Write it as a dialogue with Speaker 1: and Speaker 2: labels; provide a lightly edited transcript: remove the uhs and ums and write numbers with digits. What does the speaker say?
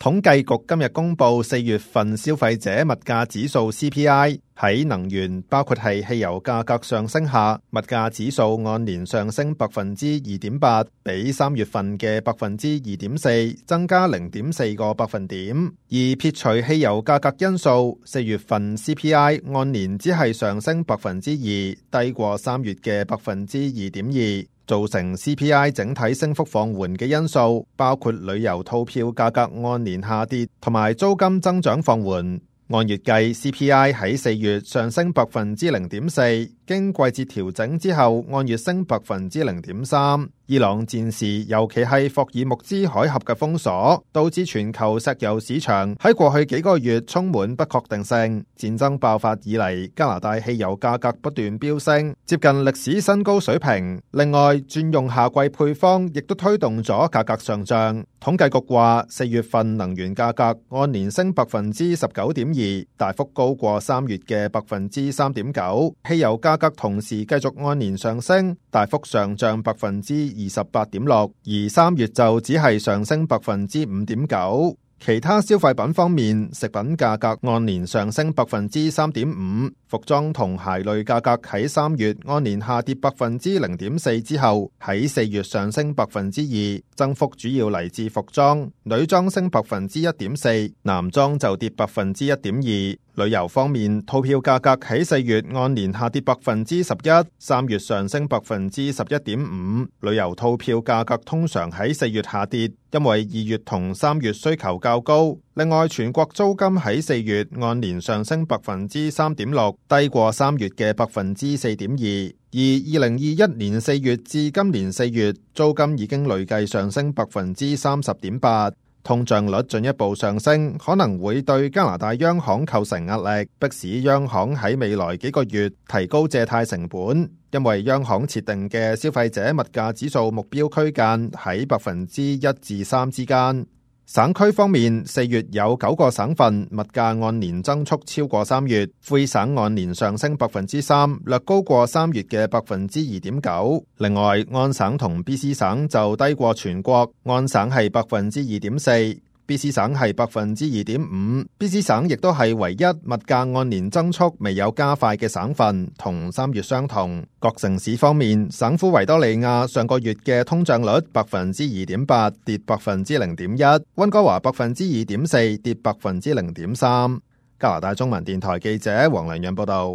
Speaker 1: 統計局今日公布4月份消費者物價指數 CPI， 喺能源包括係汽油價格上升下，物價指數按年上升 2.8%， 比3月份嘅 2.4% 增加 0.4個百分點。而撇除汽油價格因素，4月份 CPI 按年只係上升 2%， 低過3月嘅 2.2%。造成 CPI 整體升幅放緩嘅因素，包括旅遊套票價格按年下跌，同埋租金增長放緩。按月計 CPI 喺4月上升 0.4%， 經季節調整之後按月升 0.3%。伊朗戰事，尤其係霍爾木茲海峽嘅封鎖，導致全球石油市場喺過去幾個月充滿不確定性。戰爭爆發以嚟，加拿大汽油價格不斷飆升，接近歷史新高水平。另外，轉用夏季配方亦都推動咗價格上漲。統計局話，4月份能源價格按年升 19.2%， 大幅高過3月嘅 3.9%。汽油價格同時繼續按年上升，大幅上漲 28.6%， 而3月就只係上升 5.9%。其他消費品方面，食品價格按年上升 3.5%， 服裝同鞋類價格喺3月按年下跌 0.4% 之後，喺4月上升 2%， 增幅主要嚟自服裝，女裝升 1.4%， 男裝就跌 1.2%。旅遊方面，套票價格喺4月按年下跌 11%， 3月上升 11.5%。旅遊套票價格通常喺4月下跌，因為2月同3月需求較高。另外，全國租金喺4月按年上升 3.6%， 低過3月嘅 4.2%。而2021年4月至今年4月，租金已經累計上升 30.8%。通脹率進一步上升，可能會對加拿大央行構成壓力，迫使央行喺未來幾個月提高借貸成本。因為央行設定嘅消費者物價指數目標區間喺 1% 至 3% 之間。省區方面，4月有9個省份物價按年增速超過3月，魁省按年上升 3%， 略高過3月嘅 2.9%。另外，安省同 BC 省就低過全國，安省係 2.4%，BC 省係 2.5%，BC 省亦都係唯一物價按年增速未有加快嘅省份，同3月相同。各城市方面，省府維多利亞上個月嘅通脹率 2.8%， 跌 0.1%， 溫哥華 2.4%， 跌 0.3%。加拿大中文電台記者黃良潤報道。